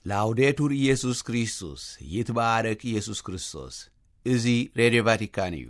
ላውዴቱር ኢየሱስ ክርስቶስ፣ ይትባረክ ኢየሱስ ክርስቶስ። እዚ ሬድዮ ቫቲካን እዩ።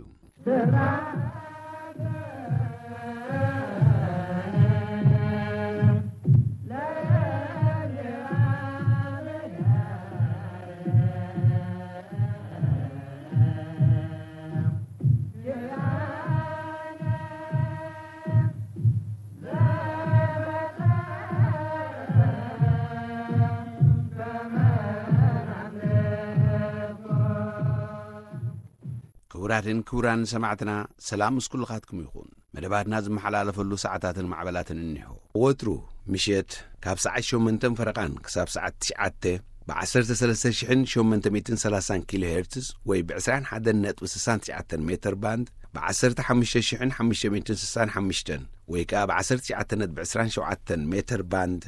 ክቡራትን ክቡራን ሰማዕትና፣ ሰላም ምስ ኩልኻትኩም ይኹን። መደባትና ዝመሓላለፈሉ ሰዓታትን ማዕበላትን እኒሆ። ወትሩ ምሸት ካብ ሰዓት ሸሞንተን ፈረቓን ክሳብ ሰዓት ትሽዓተ ብ ዓሰርተ ሰለስተ ሽሕን ሸሞንተ ሚእትን ሰላሳን ኪሎ ሄርትዝ ወይ ብ ዕስራን ሓደን ነጥቢ ስሳን ትሽዓተን ሜተር ባንድ፣ ብ ዓሰርተ ሓሙሽተ ሽሕን ሓሙሽተ ሚእትን ስሳን ሓሙሽተን ወይ ከኣ ብ ዓሰርተ ትሽዓተ ነጥቢ ዕስራን ሸውዓተን ሜተር ባንድ፣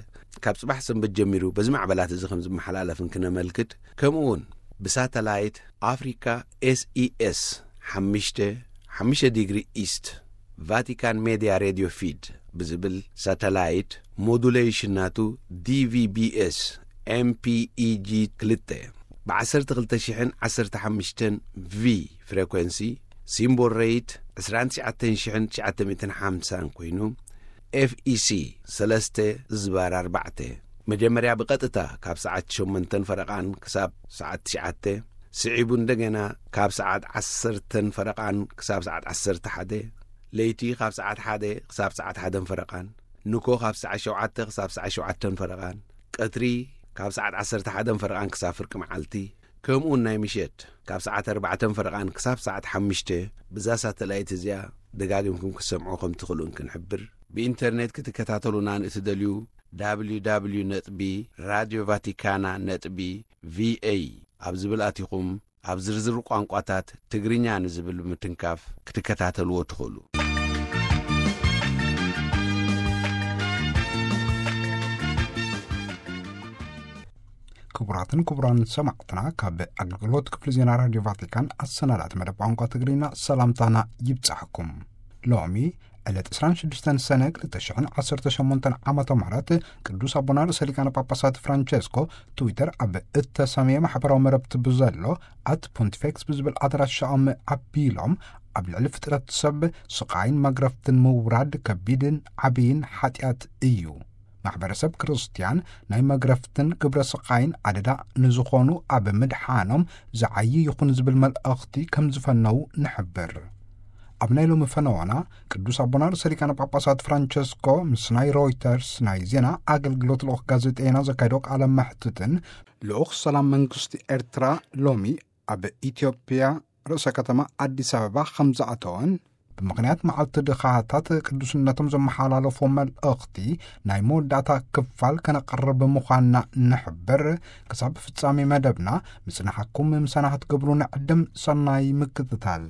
ካብ ጽባሕ ሰንበት ጀሚሩ በዚ ማዕበላት እዚ ከም ዝመሓላለፍን ክነመልክት፣ ከምኡ እውን ብሳተላይት ኣፍሪካ ኤስኢኤስ ሓሙሽተ፣ ሓሙሽተ ዲግሪ ኢስት፣ ቫቲካን ሜድያ ሬድዮ ፊድ ብዝብል ሳተላይት፣ ሞዱሌሽን ናቱ ዲቪቢኤስ ኤምፒኢጂ ክልተ፣ ብ ዓሰርተ ክልተ ሽሕን ዓሰርተ ሓሙሽተን ቪ ፍሬኮንሲ፣ ሲምቦል ሬት ዕስራን ትሽዓተን ሽሕን ትሽዓተ ሚእትን ሓምሳን ኮይኑ፣ ኤፍኢሲ ሰለስተ ዝባር ኣርባዕተ፣ መጀመርያ ብቐጥታ ካብ ሰዓት ሸሞንተን ፈረቓን ክሳብ ሰዓት ትሽዓተ፣ ስዒቡ እንደገና ካብ ሰዓት ዓሰርተን ፈረቓን ክሳብ ሰዓት ዓሰርተ ሓደ፣ ለይቲ ካብ ሰዓት ሓደ ክሳብ ሰዓት ሓደን ፈረቓን፣ ንኮ ካብ ሰዓት ሸውዓተ ክሳብ ሰዓት ሸውዓተን ፈረቓን፣ ቀትሪ ካብ ሰዓት ዓሰርተ ሓደን ፈረቓን ክሳብ ፍርቂ መዓልቲ፣ ከምኡውን ናይ ምሸት ካብ ሰዓት ኣርባዕተን ፈረቓን ክሳብ ሰዓት ሓሙሽተ፣ ብዛ ሳተላይት እዚኣ ደጋጊምኩም ክትሰምዑ ከም ትኽእሉን ክንሕብር። ብኢንተርኔት ክትከታተሉና ንእትደልዩ፣ www ነጥቢ ራድዮ ቫቲካና ነጥቢ ቪኤ ኣብ ዝብል ኣቲኹም፣ ኣብ ዝርዝር ቋንቋታት ትግርኛ ንዝብል ብምትንካፍ ክትከታተልዎ ትኽእሉ። ክቡራትን ክቡራን ሰማዕትና፣ ካብ ኣገልግሎት ክፍሊ ዜና ራድዮ ቫቲካን ኣሰናዳእቲ መደብ ቋንቋ ትግርኛ ሰላምታና ይብጻሕኩም። ሎሚ ዕለት ዕስራን ሽዱሽተን ሰነ ክልተ ሽሕን ዓሰርተ ሸሞንተን ዓመተ ምህረት፣ ቅዱስ ኣቦና ርእሰ ሊቃነ ጳጳሳት ፍራንቸስኮ ትዊተር ኣብ እተሰምየ ማሕበራዊ መረብቲ ብዘሎ ኣት ፖንቲፌክስ ብዝብል ኣድራሻኦም ኣቢሎም፣ ኣብ ልዕሊ ፍጥረት ሰብ ስቓይን መግረፍትን ምውራድ ከቢድን ዓብይን ሓጢኣት እዩ። ማሕበረሰብ ክርስትያን ናይ መግረፍትን ግብረ ስቓይን ኣደዳ ንዝኾኑ ኣብ ምድሓኖም ዝዓዪ ይኹን ዝብል መልእኽቲ ከም ዝፈነዉ ንሕብር። ኣብ ናይ ሎሚ ፈነዋና፣ ቅዱስ ኣቦና ርእሰ ሊቃነ ጳጳሳት ፍራንቸስኮ ምስ ናይ ሮይተርስ ናይ ዜና ኣገልግሎት ልኡኽ ጋዜጠይና ዘካየዶ ቃለ መሕትትን፣ ልኡኽ ሰላም መንግስቲ ኤርትራ ሎሚ ኣብ ኢትዮጵያ ርእሰ ከተማ ኣዲስ ኣበባ ከም ዝኣተወን፣ ብምኽንያት መዓልቲ ድኻታት ቅዱስነቶም ዘመሓላለፎ መልእኽቲ ናይ መወዳእታ ክፋል ከነቕርብ ምዃንና ንሕብር። ክሳብ ፍጻሜ መደብና ምጽናሕኩም ምሳና ክትገብሩ ንዕድም። ሰናይ ምክትታል።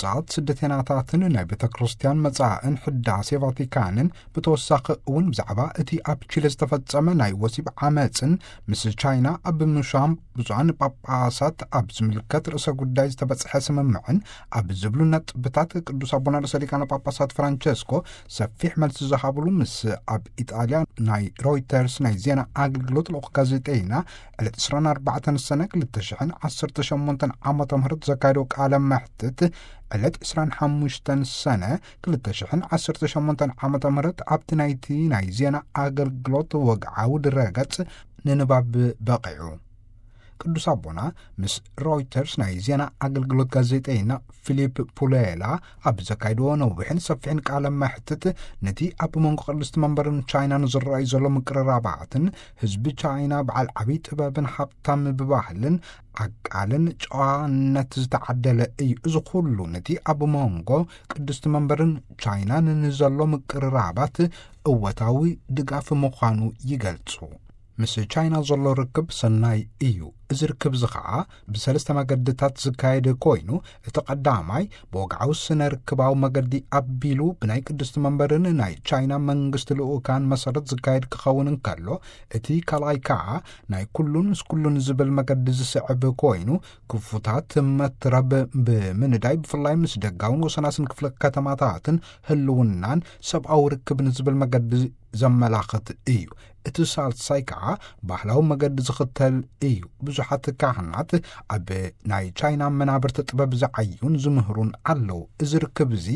ጻት ስደተኛታትን ናይ ቤተ ክርስቲያን መጻእን ሕዳሴ ቫቲካንን ብተወሳኺ እውን ብዛዕባ እቲ ኣብ ቺለ ዝተፈጸመ ናይ ወሲብ ዓመጽን ምስ ቻይና ኣብ ምሻም ብዙሓን ጳጳሳት ኣብ ዝምልከት ርእሰ ጉዳይ ዝተበጽሐ ስምምዕን ኣብ ዝብሉ ነጥብታት ቅዱስ ኣቦና ርእሰ ሊቃነ ጳጳሳት ፍራንቸስኮ ሰፊሕ መልሲ ዝሃብሉ ምስ ኣብ ኢጣልያ ናይ ሮይተርስ ናይ ዜና ኣገልግሎት ልኡኽ ጋዜጠይና ዕለት ዕስራን ኣርባዕተን ሰነ ክልተ ሽሕን ዓሰርተ ሸሞንተን ዓመተ ምህረት ዘካየዶ ቃለ መሕትት ዕለት ዕስራን ሓሙሽተን ሰነ ክልተ ሽሕን ዓሰርተ ሸሞንተን ዓመተ ምህረት ኣብቲ ናይቲ ናይ ዜና ኣገልግሎት ወግዓዊ ድረገጽ ንንባብ በቒዑ። ቅዱስ ኣቦና ምስ ሮይተርስ ናይ ዜና ኣገልግሎት ጋዜጠይና ፊሊፕ ፑሌላ ኣብ ዘካየድዎ ነዊሕን ሰፊሕን ቃለ መሕትት፣ ነቲ ኣብ መንጎ ቅድስቲ መንበርን ቻይናን ዝረኣዩ ዘሎ ምቅርራባትን፣ ህዝቢ ቻይና በዓል ዓብዪ ጥበብን ሃብታም ብባህልን ዓቃልን ጨዋነት ዝተዓደለ እዩ። እዚ ኩሉ ነቲ ኣብ መንጎ ቅድስቲ መንበርን ቻይናን ንዘሎ ምቅርራባት እወታዊ ድጋፍ ምዃኑ ይገልጹ። ምስ ቻይና ዘሎ ርክብ ሰናይ እዩ። እዚ ርክብ እዚ ኸዓ ብሰለስተ መገድታት ዝካየድ ኮይኑ፣ እቲ ቀዳማይ ብወግዓዊ ስነ ርክባዊ መገዲ ኣቢሉ ብናይ ቅድስቲ መንበርን ናይ ቻይና መንግስቲ ልኡካን መሰረት ዝካየድ ክኸውን እንከሎ፣ እቲ ካልኣይ ከዓ ናይ ኩሉን ምስ ኩሉን ዝብል መገዲ ዝስዕብ ኮይኑ፣ ክፉታት መትረብ ብምንዳይ ብፍላይ ምስ ደጋውን ወሰናስን ክፍለ ከተማታትን ህልውናን ሰብኣዊ ርክብን ዝብል መገዲ ዘመላኽት እዩ። እቲ ሳልሳይ ከዓ ባህላዊ መገዲ ዝኽተል እዩ። ብዙሓት ካህናት ኣብ ናይ ቻይና መናብርቲ ጥበብ ዝዓዩን ዝምህሩን ኣለዉ። እዚ ርክብ እዚ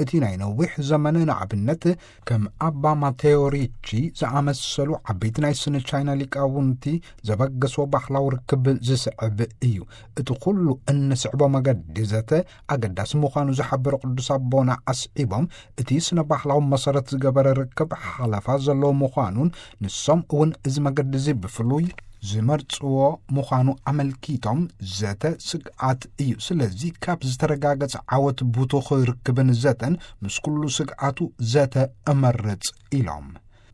እቲ ናይ ነዊሕ ዘመን ንኣብነት ከም ኣባ ማቴዎ ሪቺ ዝኣመሰሉ ዓበይቲ ናይ ስነ ቻይና ሊቃውንቲ ዘበገስዎ ባህላዊ ርክብ ዝስዕብ እዩ። እቲ ኩሉ እንስዕቦ መገዲ ዘተ ኣገዳሲ ምዃኑ ዝሓበሩ ቅዱስ ኣቦና ኣስዒቦም፣ እቲ ስነ ባህላዊ መሰረት ዝገበረ ርክብ ሓለፋ ዘለዎ ምዃኑን ንሶም እውን እዚ መገዲ እዚ ብፍሉይ ዝመርጽዎ ምዃኑ ኣመልኪቶም፣ ዘተ ስግኣት እዩ። ስለዚ ካብ ዝተረጋገጸ ዓወት ብቱኽ ርክብን ዘተን ምስ ኩሉ ስግኣቱ ዘተ እመርጽ ኢሎም።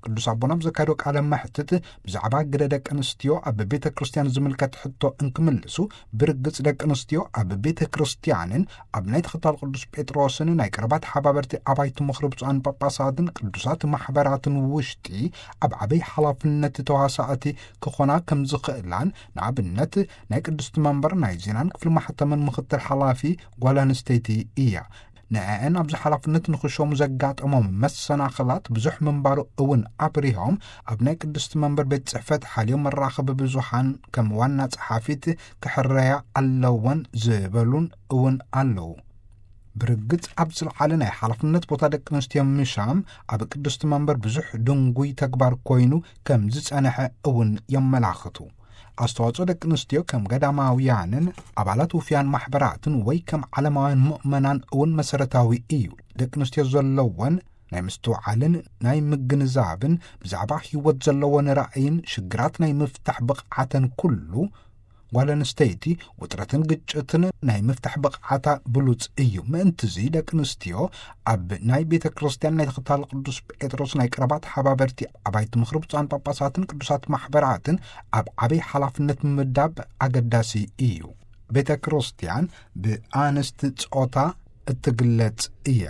ቅዱስ ኣቦና ኣብ ዘካየዶ ቃለ መሕትት ብዛዕባ ግደ ደቂ ኣንስትዮ ኣብ ቤተ ክርስቲያን ዝምልከት ሕቶ እንክምልሱ፣ ብርግጽ ደቂ ኣንስትዮ ኣብ ቤተ ክርስቲያንን ኣብ ናይ ተኸታል ቅዱስ ጴጥሮስን ናይ ቀረባ ተሓባበርቲ ኣባይቲ ምኽሪ ብፁዓን ጳጳሳትን ቅዱሳት ማሕበራትን ውሽጢ ኣብ ዓበይ ሓላፍነት ተዋሳእቲ ክኾና ከም ዝኽእላን፣ ንኣብነት ናይ ቅድስቲ መንበር ናይ ዜናን ክፍሊ ማሕተምን ምኽትል ሓላፊ ጓል ኣንስተይቲ እያ። ንዕአን ኣብዚ ሓላፍነት ንኽሾሙ ዘጋጠሞም መሰናኽላት ብዙሕ ምንባሩ እውን ኣብሪሆም፣ ኣብ ናይ ቅድስቲ መንበር ቤት ጽሕፈት ሓልዮ መራኸቢ ብዙሓን ከም ዋና ጸሓፊት ክሕረያ ኣለወን ዝበሉን እውን ኣለዉ። ብርግጽ ኣብ ዝለዓለ ናይ ሓላፍነት ቦታ ደቂ ኣንስትዮ ምሻም ኣብ ቅድስቲ መንበር ብዙሕ ድንጉይ ተግባር ኮይኑ ከም ዝጸንሐ እውን የመላኽቱ። ኣስተዋጽኦ ደቂ ኣንስትዮ ከም ገዳማውያንን ኣባላት ውፍያን ማሕበራትን ወይ ከም ዓለማውያን ምእመናን እውን መሰረታዊ እዩ። ደቂ ኣንስትዮ ዘለወን ናይ ምስትውዓልን ናይ ምግንዛብን ብዛዕባ ህይወት ዘለወን ራእይን ሽግራት ናይ ምፍታሕ ብቕዓተን ኩሉ ጓል ኣንስተይቲ ውጥረትን ግጭትን ናይ ምፍታሕ ብቕዓታ ብሉጽ እዩ። ምእንትዚ ደቂ ኣንስትዮ ኣብ ናይ ቤተ ክርስቲያን ናይ ተኸታል ቅዱስ ጴጥሮስ ናይ ቀረባ ተሓባበርቲ ኣባይቲ ምኽሪ ብፁዓን ጳጳሳትን ቅዱሳት ማሕበራትን ኣብ ዓበይ ሓላፍነት ምምዳብ ኣገዳሲ እዩ። ቤተ ክርስቲያን ብኣንስቲ ጾታ እትግለጽ እያ።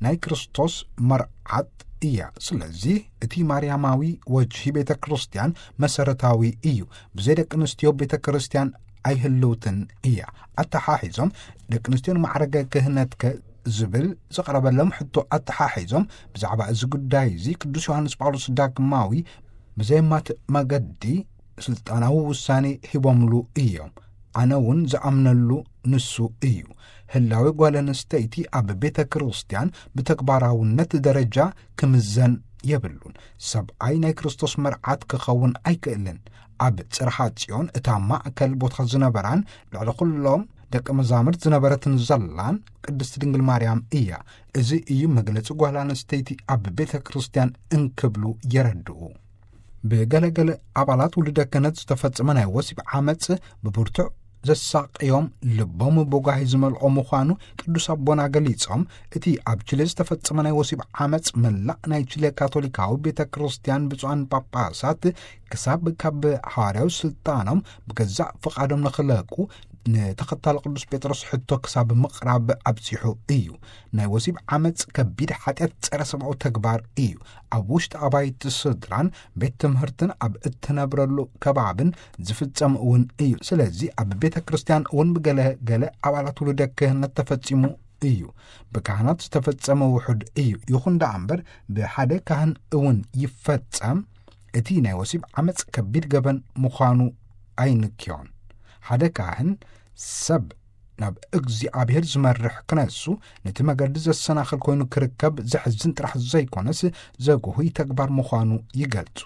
ናይ ክርስቶስ መርዓት እያ። ስለዚ እቲ ማርያማዊ ወጅሂ ቤተ ክርስቲያን መሰረታዊ እዩ። ብዘይ ደቂ ኣንስትዮ ቤተ ክርስቲያን ኣይህልውትን እያ። ኣተሓሒዞም ደቂ ኣንስትዮ ንማዕረገ ክህነትከ ዝብል ዝቐረበሎም ሕቶ ኣተሓሒዞም ብዛዕባ እዚ ጉዳይ እዚ ቅዱስ ዮሃንስ ጳውሎስ ዳግማዊ ብዘየማት መገዲ ስልጣናዊ ውሳኔ ሂቦምሉ እዮም። ኣነ እውን ዝኣምነሉ ንሱ እዩ። ህላዌ ጓል ኣንስተይቲ ኣብ ቤተ ክርስቲያን ብተግባራውነት ደረጃ ክምዘን የብሉን። ሰብኣይ ናይ ክርስቶስ መርዓት ክኸውን ኣይክእልን። ኣብ ጽርሓ ጽዮን እታ ማእከል ቦታ ዝነበራን ልዕሊ ኩሎም ደቂ መዛሙርት ዝነበረትን ዘላን ቅድስቲ ድንግል ማርያም እያ። እዚ እዩ መግለጺ ጓል ኣንስተይቲ ኣብ ቤተ ክርስቲያን እንክብሉ የረድኡ። ብገለገለ ኣባላት ውሉደ ክህነት ዝተፈጸመ ናይ ወሲብ ዓመጽ ብብርቱዕ ዘሳቀዮም ልቦም ብጓሂ ዝመልኦ ምዃኑ ቅዱስ ኣቦና ገሊጾም፣ እቲ ኣብ ቺለ ዝተፈጸመ ናይ ወሲብ ዓመጽ መላእ ናይ ቺለ ካቶሊካዊ ቤተ ክርስቲያን ብፁዓን ጳጳሳት ክሳብ ካብ ሓዋርያዊ ስልጣኖም ብገዛእ ፍቓዶም ንኽለቁ ንተኸታሊ ቅዱስ ጴጥሮስ ሕቶ ክሳብ ምቕራብ ኣብጺሑ እዩ። ናይ ወሲብ ዓመጽ ከቢድ ሓጢኣት ጸረ ሰብኣዊ ተግባር እዩ። ኣብ ውሽጢ ኣባይቲ ስድራን ቤት ትምህርትን ኣብ እትነብረሉ ከባብን ዝፍጸም እውን እዩ። ስለዚ ኣብ ቤተ ክርስቲያን እውን ብገለ ገለ ኣባላት ውሉደ ክህነት ተፈጺሙ እዩ። ብካህናት ዝተፈጸመ ውሑድ እዩ። ይኹን ደኣ እምበር ብሓደ ካህን እውን ይፈጸም። እቲ ናይ ወሲብ ዓመጽ ከቢድ ገበን ምዃኑ ኣይንክዮን። ሓደ ካህን ሰብ ናብ እግዚኣብሔር ዝመርሕ ክነሱ ነቲ መገዲ ዘሰናኽል ኮይኑ ክርከብ ዘሕዝን ጥራሕ ዘይኮነስ ዘጉህይ ተግባር ምዃኑ ይገልጹ።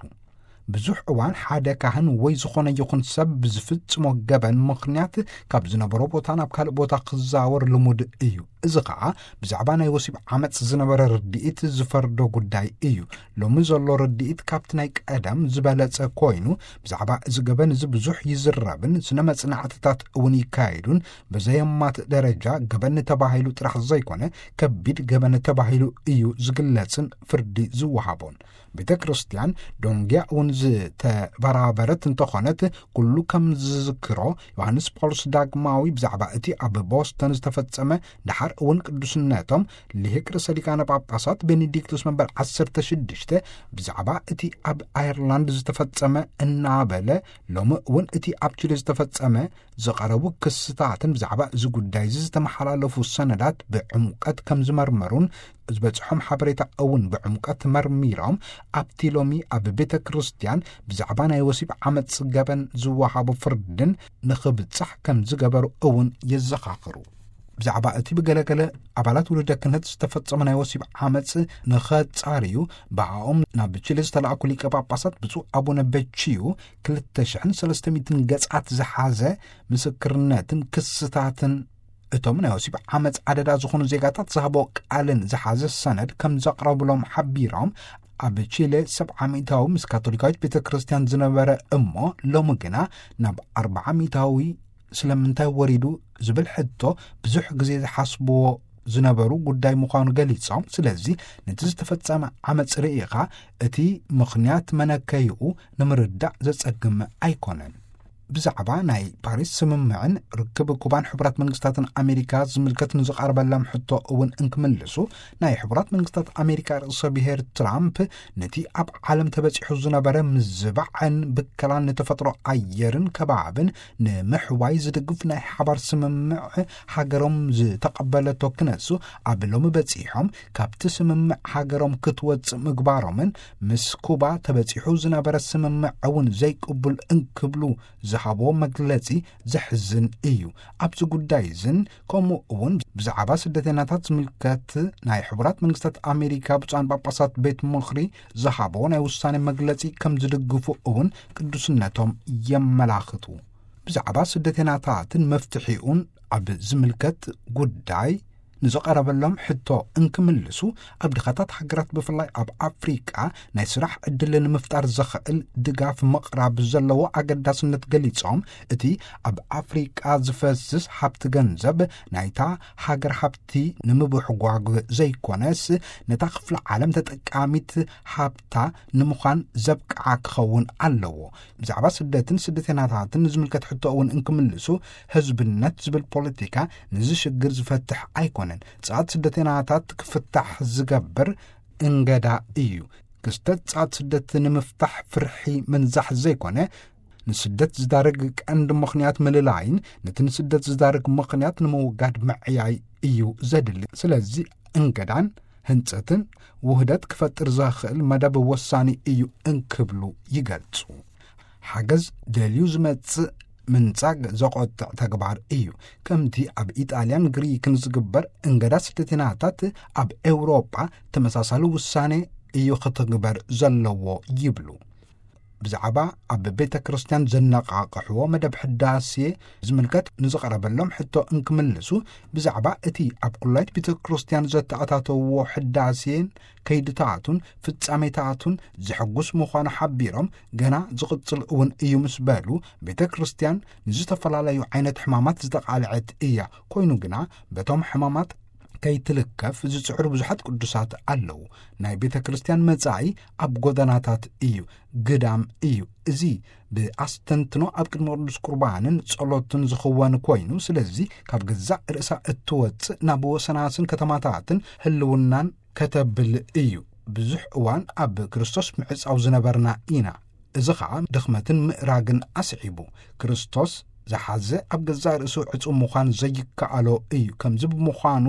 ብዙሕ እዋን ሓደ ካህን ወይ ዝኾነ ይኹን ሰብ ብዝፍጽሞ ገበን ምኽንያት ካብ ዝነበሮ ቦታ ናብ ካልእ ቦታ ክዛወር ልሙድ እዩ። እዚ ኸዓ ብዛዕባ ናይ ወሲብ ዓመጽ ዝነበረ ርድኢት ዝፈርዶ ጉዳይ እዩ። ሎሚ ዘሎ ርድኢት ካብቲ ናይ ቀደም ዝበለጸ ኮይኑ፣ ብዛዕባ እዚ ገበን እዚ ብዙሕ ይዝረብን ስነ መጽናዕትታት እውን ይካየዱን፣ ብዘየማት ደረጃ ገበን ተባሂሉ ጥራሕ ዘይኮነ፣ ከቢድ ገበን ተባሂሉ እዩ ዝግለጽን ፍርዲ ዝወሃቦን። ቤተ ክርስቲያን ዶንጊያ እውን ዝተበራበረት እንተኾነት፣ ኩሉ ከም ዝዝክሮ፣ ዮሃንስ ጳውሎስ ዳግማዊ ብዛዕባ እቲ ኣብ ቦስተን ዝተፈጸመ፣ ደሓር እውን ቅዱስነቶም ሊሄቅ ርእሰ ሊቃነ ጳጳሳት ቤኔዲክቶስ መንበር ዓሰርተ ሽዱሽተ ብዛዕባ እቲ ኣብ ኣየርላንድ ዝተፈጸመ እናበለ፣ ሎሚ እውን እቲ ኣብ ቺሊ ዝተፈጸመ ዝቐረቡ ክስታትን ብዛዕባ እዚ ጉዳይ እዚ ዝተመሓላለፉ ሰነዳት ብዕምቀት ከም ዝመርመሩን ዝበጽሖም ሓበሬታ እውን ብዕምቀት መርሚሮም፣ ኣብቲ ሎሚ ኣብ ቤተ ክርስቲያን ብዛዕባ ናይ ወሲብ ዓመጽ ገበን ዝወሃቦ ፍርድን ንኽብጻሕ ከም ዝገበሩ እውን የዘኻኽሩ። ብዛዕባ እቲ ብገለገለ ኣባላት ውሉደ ክህነት ዝተፈጸመ ናይ ወሲብ ዓመጽ ንኸጻርዩ ብኣኦም ናብ ቺሊ ዝተላእኩ ሊቀ ጳጳሳት ብፁዕ ኣቡነ በቺዩ ክልተ ሽሕን ሰለስተ ሚእትን ገጻት ዝሓዘ ምስክርነትን ክስታትን እቶም ናይ ወሲብ ዓመጽ ኣደዳ ዝኾኑ ዜጋታት ዝሃቦ ቃልን ዝሓዘ ሰነድ ከም ዘቕረብሎም ሓቢሮም፣ ኣብ ቺለ ሰብዓ ሚእታዊ ምስ ካቶሊካዊት ቤተ ክርስቲያን ዝነበረ እሞ ሎሚ ግና ናብ ኣርብዓ ሚእታዊ ስለምንታይ ወሪዱ ዝብል ሕቶ ብዙሕ ግዜ ዝሓስብዎ ዝነበሩ ጉዳይ ምዃኑ ገሊጾም፣ ስለዚ ነቲ ዝተፈጸመ ዓመጽ ርኢኻ እቲ ምኽንያት መነከይኡ ንምርዳእ ዘጸግም ኣይኮነን። ብዛዕባ ናይ ፓሪስ ስምምዕን ርክብ ኩባን ሕቡራት መንግስታትን ኣሜሪካ ዝምልከት ንዝቐረበሎም ሕቶ እውን እንክምልሱ፣ ናይ ሕቡራት መንግስታት ኣሜሪካ ርእሰ ብሔር ትራምፕ ነቲ ኣብ ዓለም ተበጺሑ ዝነበረ ምዝባዕን ብከላን ንተፈጥሮ ኣየርን ከባብን ንምሕዋይ ዝድግፍ ናይ ሓባር ስምምዕ ሃገሮም ዝተቐበለቶ ክነሱ፣ ኣብ ሎሚ በጺሖም ካብቲ ስምምዕ ሃገሮም ክትወጽእ ምግባሮምን ምስ ኩባ ተበጺሑ ዝነበረ ስምምዕ እውን ዘይቅቡል እንክብሉ ዝሃቦ መግለጺ ዘሕዝን እዩ። ኣብዚ ጉዳይ እዝን ከምኡ እውን ብዛዕባ ስደተኛታት ዝምልከት ናይ ሕቡራት መንግስታት ኣሜሪካ ብፁዓን ጳጳሳት ቤት ምኽሪ ዝሃቦ ናይ ውሳኔ መግለጺ ከም ዝድግፉ እውን ቅዱስነቶም የመላኽቱ። ብዛዕባ ስደተኛታትን መፍትሒኡን ኣብ ዝምልከት ጉዳይ ንዝቐረበሎም ሕቶ እንክምልሱ፣ ኣብ ድኻታት ሃገራት ብፍላይ ኣብ ኣፍሪቃ ናይ ስራሕ ዕድል ንምፍጣር ዘኽእል ድጋፍ ምቕራብ ዘለዎ ኣገዳስነት ገሊጾም፣ እቲ ኣብ ኣፍሪቃ ዝፈስስ ሃብቲ ገንዘብ ናይታ ሃገር ሃብቲ ንምብሕጓግ ዘይኮነስ፣ ነታ ክፍለ ዓለም ተጠቃሚት ሃብታ ንምዃን ዘብቅዓ ክኸውን ኣለዎ። ብዛዕባ ስደትን ስደተኛታትን ንዝምልከት ሕቶ እውን እንክምልሱ፣ ህዝብነት ዝብል ፖለቲካ ነዚ ሽግር ዝፈትሕ ኣይኮነን። ጻት ስደተኛታት ክፍታሕ ዝገብር እንገዳ እዩ። ክስተት ጻት ስደት ንምፍታሕ ፍርሒ ምንዛሕ ዘይኮነ፣ ንስደት ዝዳርግ ቀንዲ ምኽንያት ምልላይን ነቲ ንስደት ዝዳርግ ምኽንያት ንምውጋድ ምዕያይ እዩ ዘድሊ። ስለዚ እንገዳን ህንጸትን ውህደት ክፈጥር ዘኽእል መደብ ወሳኒ እዩ እንክብሉ ይገልጹ። ሓገዝ ደልዩ ዝመጽእ ምንጻግ ዘቖጥዕ ተግባር እዩ። ከምቲ ኣብ ኢጣልያን ግሪክን ዝግበር እንገዳ ስደተኛታት ኣብ ኤውሮጳ ተመሳሳሊ ውሳኔ እዩ ክትግበር ዘለዎ ይብሉ። ብዛዕባ ኣብ ቤተ ክርስቲያን ዘነቓቕሕዎ መደብ ሕዳሴ ዝምልከት ንዝቐረበሎም ሕቶ እንክምልሱ፣ ብዛዕባ እቲ ኣብ ኩላይት ቤተ ክርስቲያን ዘተኣታተውዎ ሕዳሴን ከይድታቱን ፍጻሜታቱን ዘሐጉስ ምዃኑ ሓቢሮም፣ ገና ዝቕጽል እውን እዩ ምስ በሉ፣ ቤተ ክርስቲያን ንዝተፈላለዩ ዓይነት ሕማማት ዝተቓልዐት እያ። ኮይኑ ግና በቶም ሕማማት ከይትልከፍ ዝጽዕሩ ብዙሓት ቅዱሳት ኣለዉ። ናይ ቤተ ክርስቲያን መጻኢ ኣብ ጎደናታት እዩ፣ ግዳም እዩ። እዚ ብኣስተንትኖ ኣብ ቅድሚ ቅዱስ ቁርባንን ጸሎትን ዝኽወን ኮይኑ፣ ስለዚ ካብ ገዛእ ርእሳ እትወጽእ ናብ ወሰናስን ከተማታትን ህልውናን ከተብል እዩ። ብዙሕ እዋን ኣብ ክርስቶስ ምዕጻው ዝነበርና ኢና። እዚ ኸኣ ድኽመትን ምእራግን ኣስዒቡ። ክርስቶስ ዝሓዘ ኣብ ገዛእ ርእሱ ዕጹው ምዃን ዘይከኣሎ እዩ። ከምዚ ብምዃኑ፣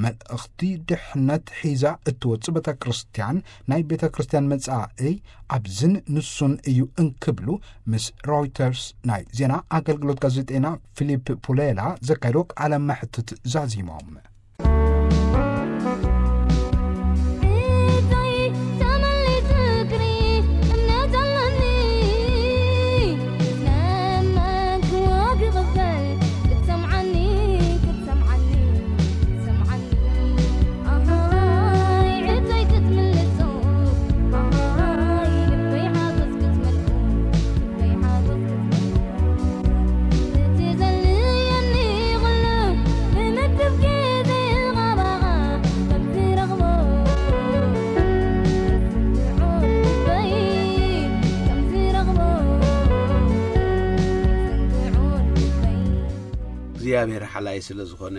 መልእኽቲ ድሕነት ሒዛ እትወጽእ ቤተ ክርስቲያን፣ ናይ ቤተ ክርስቲያን መጻኢ ኣብዝን ንሱን እዩ እንክብሉ ምስ ሮይተርስ ናይ ዜና ኣገልግሎት ጋዜጠኛ ፊሊፕ ፑሌላ ዘካየዶ ቃለ መሕትት ዛዚሞም። እግዚኣብሔር ሓላይ ስለ ዝኾነ፣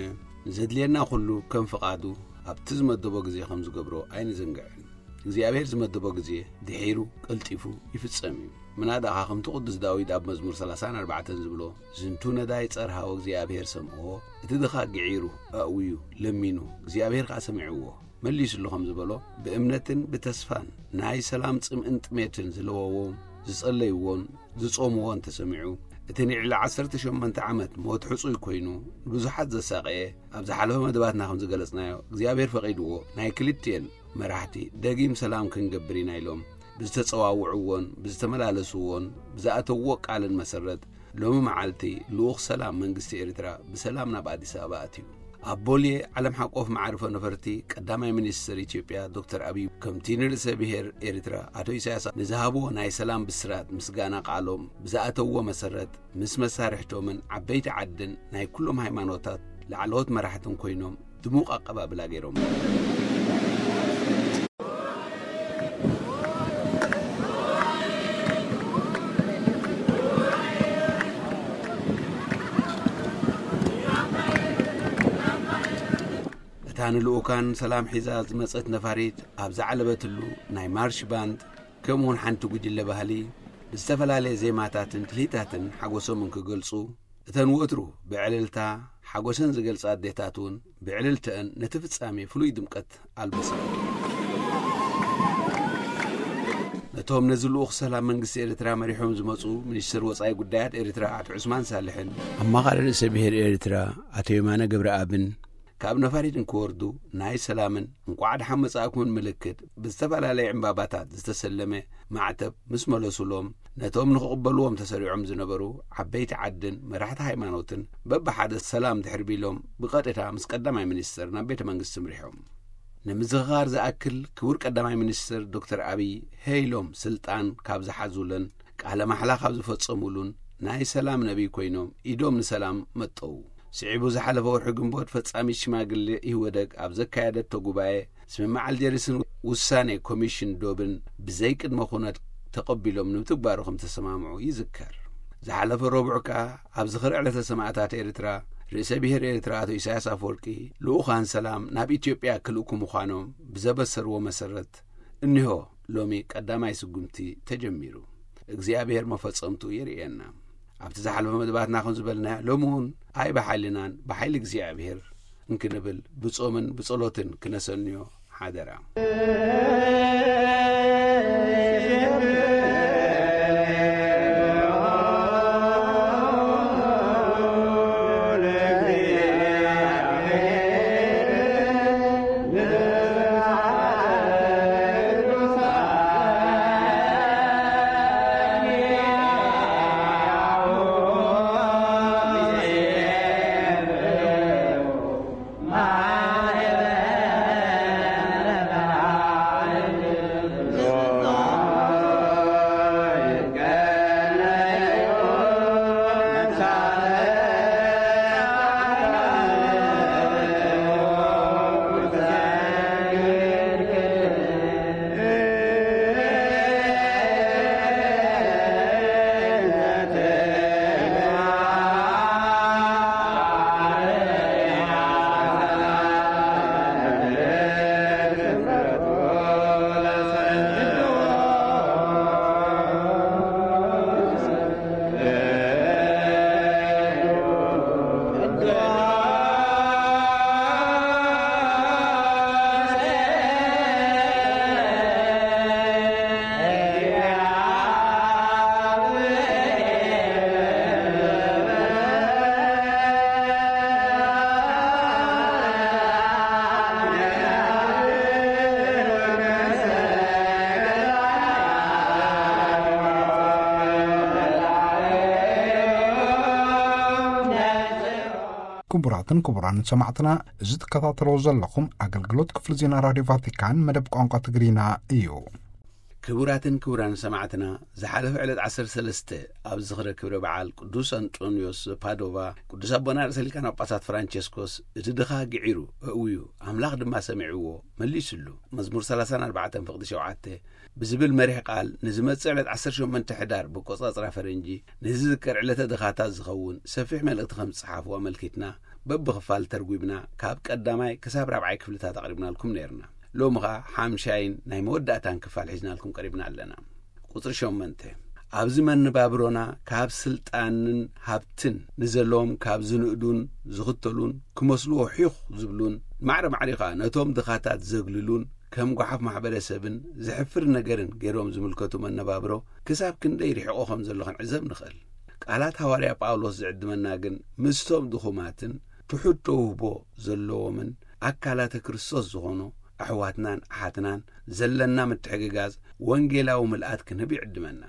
ንዘድልየና ኩሉ ከም ፍቓዱ ኣብቲ ዝመደቦ ግዜ ከም ዝገብሮ ኣይንዘንግዕን። እግዚኣብሔር ዝመደቦ ግዜ ድሒሩ ቀልጢፉ ይፍጸም እዩ። ምናዳኻ ከምቲ ቅዱስ ዳዊት ኣብ መዝሙር ሰላሳን ኣርባዕተን ዝብሎ፣ "ዝንቱ ነዳይ ጸርሃ ወእግዚኣብሔር ሰምዕዎ፣ እቲ ድኻ ግዒሩ ኣእውዩ ለሚኑ እግዚኣብሔር ከኣ ሰሚዕዎ መሊሱሉ" ከም ዝበሎ፣ ብእምነትን ብተስፋን ናይ ሰላም ጽምእን ጥሜትን ዝለወዎም ዝጸለይዎን ዝጾምዎን ተሰሚዑ፣ እቲ ንልዕሊ ዓሰርተ ሸሞንተ ዓመት ሞት ሕጹይ ኮይኑ ንብዙሓት ዘሳቐየ፣ ኣብ ዝሓለፈ መደባትና ከም ዝገለጽናዮ እግዚኣብሔር ፈቒድዎ ናይ ክልቲኤን መራሕቲ ደጊም ሰላም ክንገብር ኢና ኢሎም ብዝተጸዋውዕዎን ብዝተመላለስዎን ብዝኣተውዎ ቃልን መሰረት፣ ሎሚ መዓልቲ ልኡኽ ሰላም መንግስቲ ኤርትራ ብሰላም ናብ ኣዲስ ኣበባ ኣትዩ። ኣብ ቦሌ ዓለም ሓቆፍ መዓርፎ ነፈርቲ ቀዳማይ ሚኒስትር ኢትዮጵያ ዶክተር ኣብይ፣ ከምቲ ንርእሰ ብሔር ኤርትራ ኣቶ ኢሳያስ ንዝሃብዎ ናይ ሰላም ብስራት ምስጋና ቃሎም ብዝኣተውዎ መሰረት፣ ምስ መሳርሕቶምን ዓበይቲ ዓድን ናይ ኩሎም ሃይማኖታት ላዕለዎት መራሕትን ኮይኖም ድሙቕ ኣቀባብላ ገይሮም። እታ ንልኡካን ሰላም ሒዛ ዝመጸት ነፋሪት ኣብ ዝዓለበትሉ፣ ናይ ማርሽ ባንድ ከምኡውን ሓንቲ ጉጅለ ባህሊ ብዝተፈላለየ ዜማታትን ትልሂታትን ሓጎሶም እንክገልጹ፣ እተን ወትሩ ብዕልልታ ሓጎሰን ዝገልጻ ኣዴታት እውን ብዕልልተአን ነቲ ፍጻሜ ፍሉይ ድምቀት ኣልበሰን። ነቶም ነዚ ልኡኽ ሰላም መንግስቲ ኤርትራ መሪሖም ዝመጹ ሚኒስትር ወጻኢ ጉዳያት ኤርትራ ኣቶ ዑስማን ሳልሕን ኣማኻሪ ርእሰ ብሔር ኤርትራ ኣቶ የማነ ገብረኣብን ካብ ነፋሪት እንክወርዱ ናይ ሰላምን እንቋዕ ደሓን መጻእኩምን ምልክት ብዝተፈላለየ ዕምባባታት ዝተሰለመ ማዕተብ ምስ መለሱሎም፣ ነቶም ንኽቕበልዎም ተሰሪዖም ዝነበሩ ዓበይቲ ዓድን መራሕቲ ሃይማኖትን በብሓደ ሰላም ድሕሪ ቢሎም ብቐጥታ ምስ ቀዳማይ ሚኒስትር ናብ ቤተ መንግስቲ ምሪሖም። ንምዝኽኻር ዝኣክል ክቡር ቀዳማይ ሚኒስትር ዶክተር ኣብይ ሄይሎም ስልጣን ካብ ዝሓዙለን ቃለ ማሕላ ካብ ዝፈጸሙሉን ናይ ሰላም ነቢይ ኮይኖም ኢዶም ንሰላም መጠው። ስዒቡ ዝሓለፈ ወርሒ ግንቦት ፈጻሚት ሽማግሌ ኢህወደግ ኣብ ዘካየደቶ ጉባኤ ስምምዕ ኣልጀርስን ውሳኔ ኮሚሽን ዶብን ብዘይቅድመ ኩነት ተቐቢሎም ንምትግባሩ ከም ተሰማምዑ ይዝከር። ዝሓለፈ ረቡዕ ከኣ ኣብ ዝኽሪ ዕለተ ሰማእታት ኤርትራ ርእሰ ብሔር ኤርትራ ኣቶ ኢሳያስ ኣፈወርቂ ልኡኻን ሰላም ናብ ኢትዮጵያ ክልእኩ ምዃኖም ብዘበሰርዎ መሰረት እኒሆ ሎሚ ቀዳማይ ስጉምቲ ተጀሚሩ። እግዚኣብሔር መፈጸምቱ የርእየና። ኣብቲ ዝሓለፈ መደባትና ከም ዝበልናዮ፣ ሎሚ እውን ኣይ ብሓይልናን ብሓይሊ እግዚኣብሔር እንክንብል ብጾምን ብጸሎትን ክነሰንዮ ሓደራ። ክቡራትን ክቡራን ሰማዕትና፣ እዚ ትከታተሎ ዘለኹም ኣገልግሎት ክፍሊ ዜና ራድዮ ቫቲካን መደብ ቋንቋ ትግርኛ እዩ። ክቡራትን ክቡራን ሰማዕትና፣ ዝሓለፈ ዕለት ዓሰርተ ሰለስተ ኣብ ዝኽረ ክብረ በዓል ቅዱስ ኣንጦንዮስ ዘፓዶቫ፣ ቅዱስ ኣቦና ርእሰ ሊቃነ ጳጳሳት ፍራንቸስኮስ፣ እቲ ድኻ ግዒሩ፣ እእውዩ፣ ኣምላኽ ድማ ሰሚዕዎ፣ መሊሱሉ። መዝሙር ሰላሳን ኣርባዕተን ፍቕዲ ሸውዓተ ብዝብል መሪሕ ቃል፣ ንዝመጽእ ዕለት ዓሰርተ ሸሞንተ ሕዳር ብቆጻጽራ ፈረንጂ ንዝዝከር ዕለተ ድኻታት ዝኸውን ሰፊሕ መልእኽቲ ከም ዝጸሓፉ ኣመልኪትና፣ በብኽፋል ተርጒምና፣ ካብ ቀዳማይ ክሳብ ራብዓይ ክፍልታት ኣቕሪብናልኩም ነይርና። ሎሚ ኸኣ ሓምሻይን ናይ መወዳእታን ክፋል ሒዝናልኩም ቀሪብና ኣለና። ቁጽሪ ሸሞንተ፣ ኣብዚ መነባብሮና ካብ ስልጣንን ሃብትን ንዘለዎም ካብ ዝንእዱን ዝኽተሉን ክመስልዎ ሒኽ ዝብሉን፣ ማዕረ ማዕሪኻ ነቶም ድኻታት ዘግልሉን ከም ጓሓፍ ማሕበረሰብን ዘሕፍር ነገርን ገይሮም ዝምልከቱ መነባብሮ ክሳብ ክንደይ ርሒቑ ከም ዘሎ ክንዕዘብ ንኽእል። ቃላት ሃዋርያ ጳውሎስ ዝዕድመና ግን ምስቶም ድኹማትን ትሑት ተውህቦ ዘለዎምን ኣካላተ ክርስቶስ ዝኾኑ ኣሕዋትናን ኣሓትናን ዘለና ምትሕግጋዝ ወንጌላዊ ምልኣት ክንህብ ይዕድመና።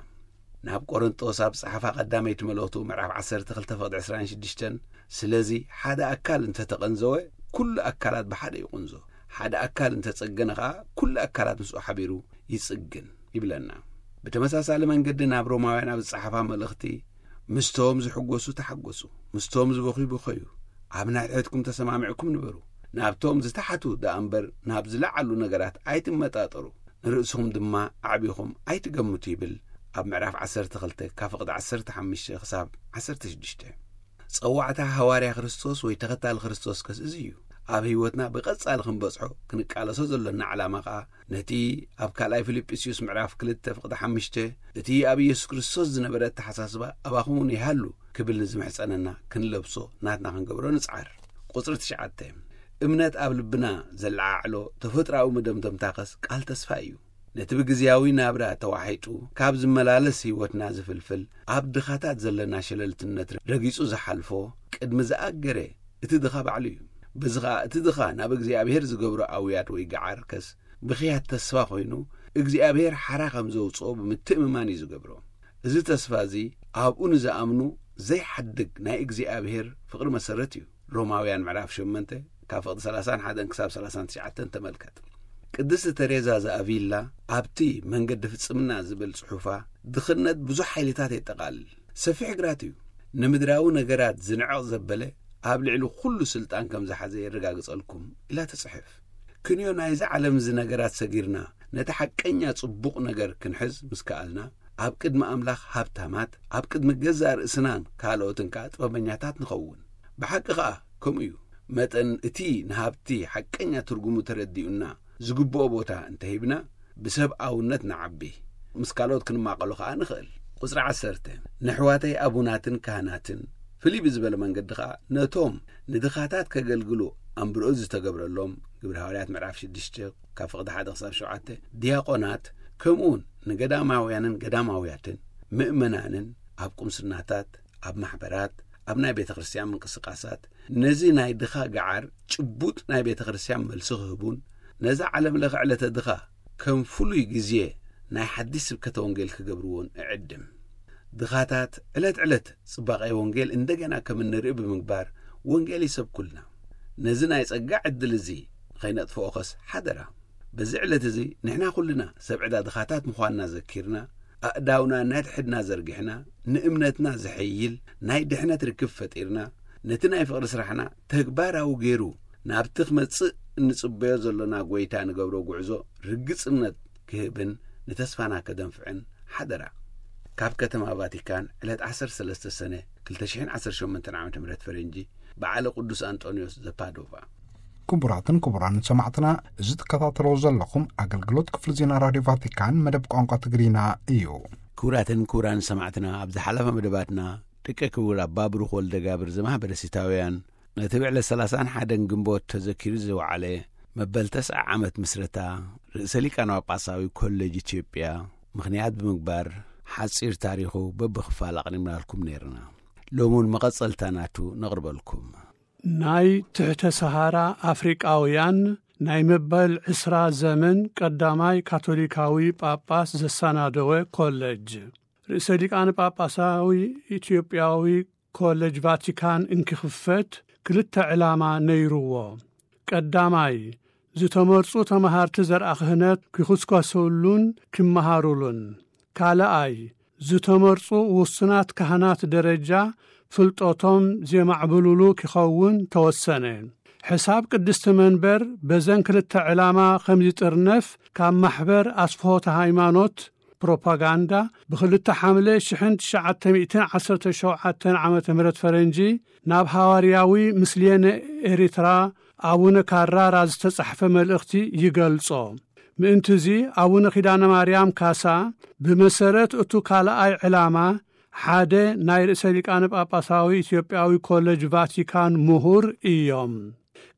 ናብ ቆሮንጦስ ኣብ ጸሓፋ ቀዳመይቲ መልእኽቱ ምዕራፍ ዓሰርተ ክልተ ፍቕዲ ዕስራን ሽዱሽተን፣ ስለዚ ሓደ ኣካል እንተተቐንዘወ፣ ኩሉ ኣካላት ብሓደ ይቑንዞ፣ ሓደ ኣካል እንተጸገነ ኸኣ፣ ኩሉ ኣካላት ምስኡ ሓቢሩ ይጽግን ይብለና። ብተመሳሳሊ መንገዲ ናብ ሮማውያን ኣብ ዝጸሓፋ መልእኽቲ፣ ምስቶም ዝሕጎሱ ተሓጎሱ፣ ምስቶም ዝበኽዩ ብኸዩ፣ ኣብ ናይ ሕድሕድኩም ተሰማሚዕኩም ንበሩ፣ ናብቶም ዝተሓቱ ደኣ እምበር ናብ ዝለዓሉ ነገራት ኣይትመጣጠሩ፣ ንርእስኹም ድማ ኣዕቢኹም ኣይትገምቱ ይብል ኣብ ምዕራፍ ዓሰርተ ክልተ ካብ ፍቕዲ ዓሰርተ ሓሙሽተ ክሳብ ዓሰርተ ሽዱሽተ። ጸዋዕታ ሃዋርያ ክርስቶስ ወይ ተኸታሊ ክርስቶስ ከስ እዚ እዩ። ኣብ ህይወትና ብቐጻሊ ክንበጽሖ ክንቃለሶ ዘሎና ዕላማ ኸኣ ነቲ ኣብ ካልኣይ ፊልጵስዩስ ምዕራፍ ክልተ ፍቕዲ ሓሙሽተ እቲ ኣብ ኢየሱስ ክርስቶስ ዝነበረ ኣተሓሳስባ ኣባኹም እውን ይሃሉ ክብል ንዝምሕጸነና ክንለብሶ ናትና ክንገብሮ ንጽዓር። ቁጽሪ ትሽዓተ፣ እምነት ኣብ ልብና ዘለዓዕሎ ተፈጥሮኣዊ መደምደምታ ኸስ ቃል ተስፋ እዩ። ነቲ ብግዜያዊ ናብራ ተዋሒጡ ካብ ዝመላለስ ህይወትና ዝፍልፍል ኣብ ድኻታት ዘለና ሸለልትነት ረጊጹ ዝሓልፎ ቅድሚ ዝኣገረ እቲ ድኻ ባዕሉ እዩ። በዚ ኸኣ እቲ ድኻ ናብ እግዚኣብሔር ዝገብሮ ኣውያት ወይ ገዓር ከስ ብኽያት ተስፋ ኮይኑ እግዚኣብሔር ሓራ ከም ዘውጽኦ ብምትእምማን እዩ ዝገብሮ። እዚ ተስፋ እዚ ኣብኡ ንዝኣምኑ ዘይሓድግ ናይ እግዚኣብሔር ፍቕሪ መሰረት እዩ። ሮማውያን ምዕራፍ ሸሞንተ ካብ ፍቕዲ ሰላሳን ሓደን ክሳብ ሰላሳን ትሽዓተን ተመልከት። ቅድስቲ ተሬዛ ዘኣቪላ ኣብቲ መንገዲ ፍጽምና ዝብል ጽሑፋ ድኽነት ብዙሕ ሓይልታት የጠቓልል። ሰፊሕ ግራት እዩ። ንምድራዊ ነገራት ዝንዕቕ ዘበለ ኣብ ልዕሊ ኩሉ ስልጣን ከም ዝሓዘ የረጋግጸልኩም ኢላ ትጽሕፍ። ክንዮ ናይዚ ዓለም እዚ ነገራት ሰጊርና ነቲ ሓቀኛ ጽቡቕ ነገር ክንሕዝ ምስ ከኣልና ኣብ ቅድሚ ኣምላኽ ሃብታማት፣ ኣብ ቅድሚ ገዛእ ርእስናን ካልኦትን ከኣ ጥበበኛታት ንኸውን። ብሓቂ ኸኣ ከምኡ እዩ። መጠን እቲ ንሃብቲ ሓቀኛ ትርጉሙ ተረዲኡና ዝግብኦ ቦታ እንተሂብና ብሰብኣውነት ንዓቢ፣ ምስ ካልኦት ክንማቐሎ ኸኣ ንኽእል። ቁጽሪ ዓሰርተ፣ ነሕዋተይ ኣቡናትን ካህናትን ፍልይ ብዝበለ መንገዲ ኸኣ ነቶም ንድኻታት ከገልግሉ ኣንብርኡ ዝተገብረሎም ግብረ ሃዋርያት ምዕራፍ ሽዱሽተ ካብ ፍቕዲ ሓደ ክሳብ ሸውዓተ ዲያቆናት ከምኡውን ንገዳማውያንን ገዳማውያትን ምእመናንን ኣብ ቁምስናታት ኣብ ማሕበራት ኣብ ናይ ቤተ ክርስቲያን ምንቅስቃሳት ነዚ ናይ ድኻ ገዓር ጭቡጥ ናይ ቤተ ክርስቲያን መልሲ ክህቡን ነዛ ዓለም ለኸ ዕለተ ድኻ ከም ፍሉይ ግዜ ናይ ሓድሽ ስብከተ ወንጌል ክገብርዎን እዕድም። ድኻታት ዕለት ዕለት ጽባቐ ወንጌል እንደገና ከም እንርኢ ብምግባር ወንጌል ይሰብኩልና። ነዚ ናይ ጸጋ ዕድል እዚ ንኸይነጥፍኦ ኸስ ሓደራ። በዚ ዕለት እዚ ንሕና ኩልና ሰብ ዕዳ ድኻታት ምዃንና ዘኪርና ኣእዳውና ነድሕድና ዘርጊሕና ንእምነትና ዘሐይል ናይ ድሕነት ርክብ ፈጢርና ነቲ ናይ ፍቕሪ ስራሕና ተግባራዊ ገይሩ ናብቲ ክመጽእ እንጽበዮ ዘሎና ጎይታ ንገብሮ ጉዕዞ ርግጽነት ክህብን ንተስፋና ከደንፍዕን ሓደራ። ካብ ከተማ ቫቲካን ዕለት ዓሰርተ ሰለስተ ሰነ ክልተ ሽሕን ዓሰርተ ሸሞንተን ዓመተ ምህረት ፈረንጂ በዓለ ቅዱስ ኣንጦንዮስ ዘፓዶቫ። ክቡራትን ክቡራን ሰማዕትና፣ እዚ ትከታተሎ ዘለኹም ኣገልግሎት ክፍሊ ዜና ራድዮ ቫቲካን መደብ ቋንቋ ትግርኛ እዩ። ክቡራትን ክቡራን ሰማዕትና፣ ኣብ ዝሓለፈ መደባትና ደቂ ክቡር ኣባ ብሩኽ ወልደ ጋብር ዘማህበረ ሲታውያን ነቲ ብዕለት ሰላሳን ሓደን ግንቦት ተዘኪሩ ዝወዓለ መበል ተስዓ ዓመት ምስረታ ርእሰ ሊቃነ ጳጳሳዊ ኮሌጅ ኢትዮጵያ ምኽንያት ብምግባር ሓጺር ታሪኹ በብኽፋል ኣቕሪብናልኩም ነይርና። ሎሚ እውን መቐጸልታ ናቱ ነቕርበልኩም። ናይ ትሕተ ሰሃራ ኣፍሪቃውያን ናይ መበል ዕስራ ዘመን ቀዳማይ ካቶሊካዊ ጳጳስ ዘሰናደወ ኮሌጅ። ርእሰ ሊቃነ ጳጳሳዊ ኢትዮጵያዊ ኮሌጅ ቫቲካን እንክኽፈት ክልተ ዕላማ ነይርዎ። ቀዳማይ፣ ዝተመርጹ ተመሃርቲ ዘርኣ ክህነት ኪኹስኮሰሉን ኪመሃሩሉን። ካልኣይ፣ ዝተመርጹ ውሱናት ካህናት ደረጃ ፍልጠቶም ዜማዕብሉሉ ኪኸውን ተወሰነ። ሕሳብ ቅድስቲ መንበር በዘን ክልተ ዕላማ ከም ዚጥርነፍ ካብ ማሕበር ኣስፍሆተ ሃይማኖት ፕሮፓጋንዳ ብክልተ ሓምለ ሽሕን ትሽዓተ ሚእትን ዓሰርተ ሸውዓተን ዓመተ ምህረት ፈረንጂ ናብ ሃዋርያዊ ምስልየነ ኤሪትራ ኣቡነ ካራራ ዝተጻሕፈ መልእኽቲ ይገልጾ። ምእንትዚ ኣቡነ ኪዳነ ማርያም ካሳ ብመሰረት እቱ ካልኣይ ዕላማ ሓደ ናይ ርእሰ ሊቃነ ጳጳሳዊ ኢትዮጵያዊ ኮለጅ ቫቲካን ምሁር እዮም።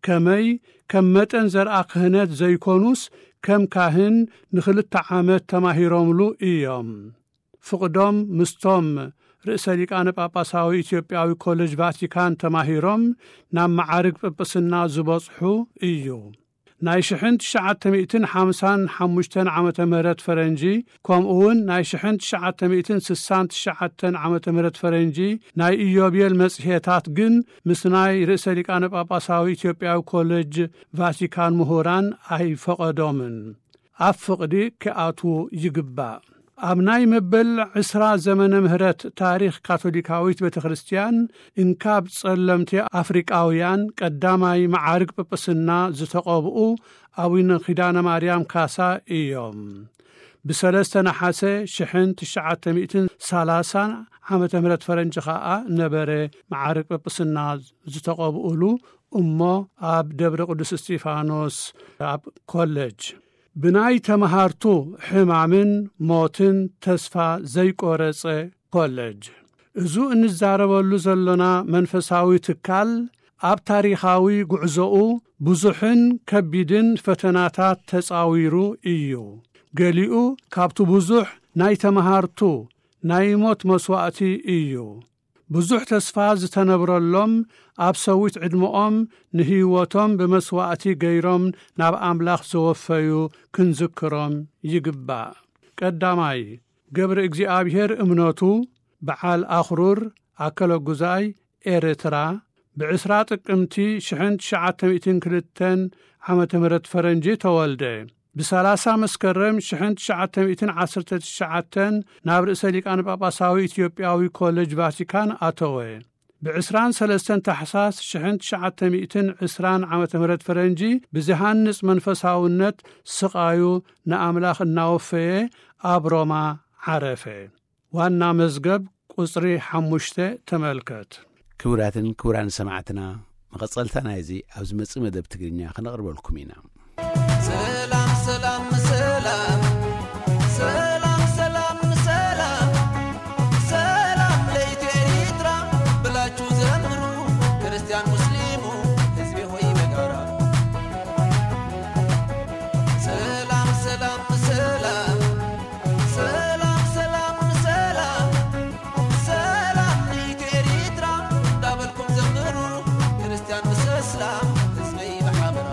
ከመይ ከም መጠን ዘርኣ ክህነት ዘይኮኑስ ከም ካህን ንክልተ ዓመት ተማሂሮምሉ እዮም። ፍቕዶም ምስቶም ርእሰ ሊቃነ ጳጳሳዊ ኢትዮጵያዊ ኮለጅ ቫቲካን ተማሂሮም ናብ መዓርግ ጵጵስና ዝበጽሑ እዩ። ናይ ሽሕን ትሽዓተ ሚእትን ሓምሳን ሓሙሽተን ዓመተ ምህረት ፈረንጂ፣ ከምኡ እውን ናይ ሽሕን ትሽዓተ ሚእትን ስሳን ትሽዓተን ዓመተ ምህረት ፈረንጂ ናይ ኢዮቤል መጽሔታት ግን ምስ ናይ ርእሰ ሊቃነ ጳጳሳዊ ኢትዮጵያዊ ኮለጅ ቫቲካን ምሁራን ኣይፈቐዶምን። ኣብ ፍቕዲ ክኣትዉ ይግባእ። ኣብ ናይ መበል ዕስራ ዘመነ ምህረት ታሪኽ ካቶሊካዊት ቤተ ክርስቲያን፣ እንካብ ጸለምቲ ኣፍሪቃውያን ቀዳማይ መዓርግ ጵጵስና ዝተቐብኡ ኣቡነ ኪዳነ ማርያም ካሳ እዮም። ብሰለስተ ነሓሰ ሽሕን ትሽዓተ ሚእትን ሰላሳን ዓመተ ምህረት ፈረንጂ ኸኣ ነበረ መዓርግ ጵጵስና ዝተቐብኡሉ እሞ ኣብ ደብረ ቅዱስ እስጢፋኖስ ኣብ ኮለጅ ብናይ ተመሃርቱ ሕማምን ሞትን ተስፋ ዘይቆረጸ ኮለጅ። እዙ እንዛረበሉ ዘሎና መንፈሳዊ ትካል ኣብ ታሪኻዊ ጉዕዞኡ ብዙሕን ከቢድን ፈተናታት ተጻዊሩ እዩ። ገሊኡ ካብቲ ብዙሕ ናይ ተመሃርቱ ናይ ሞት መስዋእቲ እዩ። ብዙሕ ተስፋ ዝተነብረሎም፣ ኣብ ሰዊት ዕድመኦም ንህይወቶም ብመስዋእቲ ገይሮም ናብ ኣምላኽ ዘወፈዩ ክንዝክሮም ይግባእ። ቀዳማይ፣ ገብረ እግዚኣብሔር እምነቱ፣ በዓል ኣኽሩር፣ ኣከለጉዛይ፣ ኤርትራ፣ ብዕስራ ጥቅምቲ ሽሕን ትሽዓተ ሚእትን ክልተን ዓመተ ምህረት ፈረንጂ ተወልደ። ብሰላሳ መስከረም ሽሕን ትሽዓተ ሚእትን ዓሰርተ ትሽዓተን ናብ ርእሰ ሊቃነ ጳጳሳዊ ኢትዮጵያዊ ኮሌጅ ቫቲካን ኣተወ። ብዕስራን ሰለስተን ታሕሳስ ሽሕን ትሽዓተ ሚእትን ዕስራን ዓመተ ምህረት ፈረንጂ ብዝሃንጽ መንፈሳውነት ስቓዩ ንኣምላኽ እናወፈየ ኣብ ሮማ ዓረፈ። ዋና መዝገብ ቁጽሪ ሓሙሽተ ተመልከት። ክቡራትን ክቡራን ሰማዕትና፣ መቐጸልታ ናይዚ ኣብ ዝመጽእ መደብ ትግርኛ ከነቕርበልኩም ኢና። ሰላም፣ ሰላም፣ ሰላም። ሰላም፣ ሰላም፣ ሰላም። ሰላም ለኢትዮ ኤርትራ ብላችሁ ዘምሩ፣ ክርስቲያን ሙስሊሙ ህዝቤ ሆይ በጋራ። ሰላም፣ ሰላም፣ ሰላም። ሰላም፣ ሰላም፣ ሰላም። ሰላም ንኢትዮ ኤርትራ እንዳበልኩም ዘምሩ፣ ክርስቲያን ምስ እስላም ህዝበይ ብሓበራ።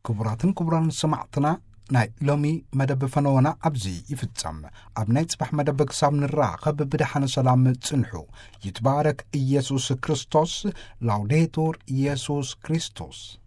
ክቡራትን ክቡራን ሰማዕትና፣ ናይ ሎሚ መደብ ፈነወና ኣብዚ ይፍጸም። ኣብ ናይ ጽባሕ መደብ ክሳብ ንራኸብ ብደሓነ ሰላም ጽንሑ። ይትባረክ ኢየሱስ ክርስቶስ። ላውዴቱር ኢየሱስ ክርስቶስ።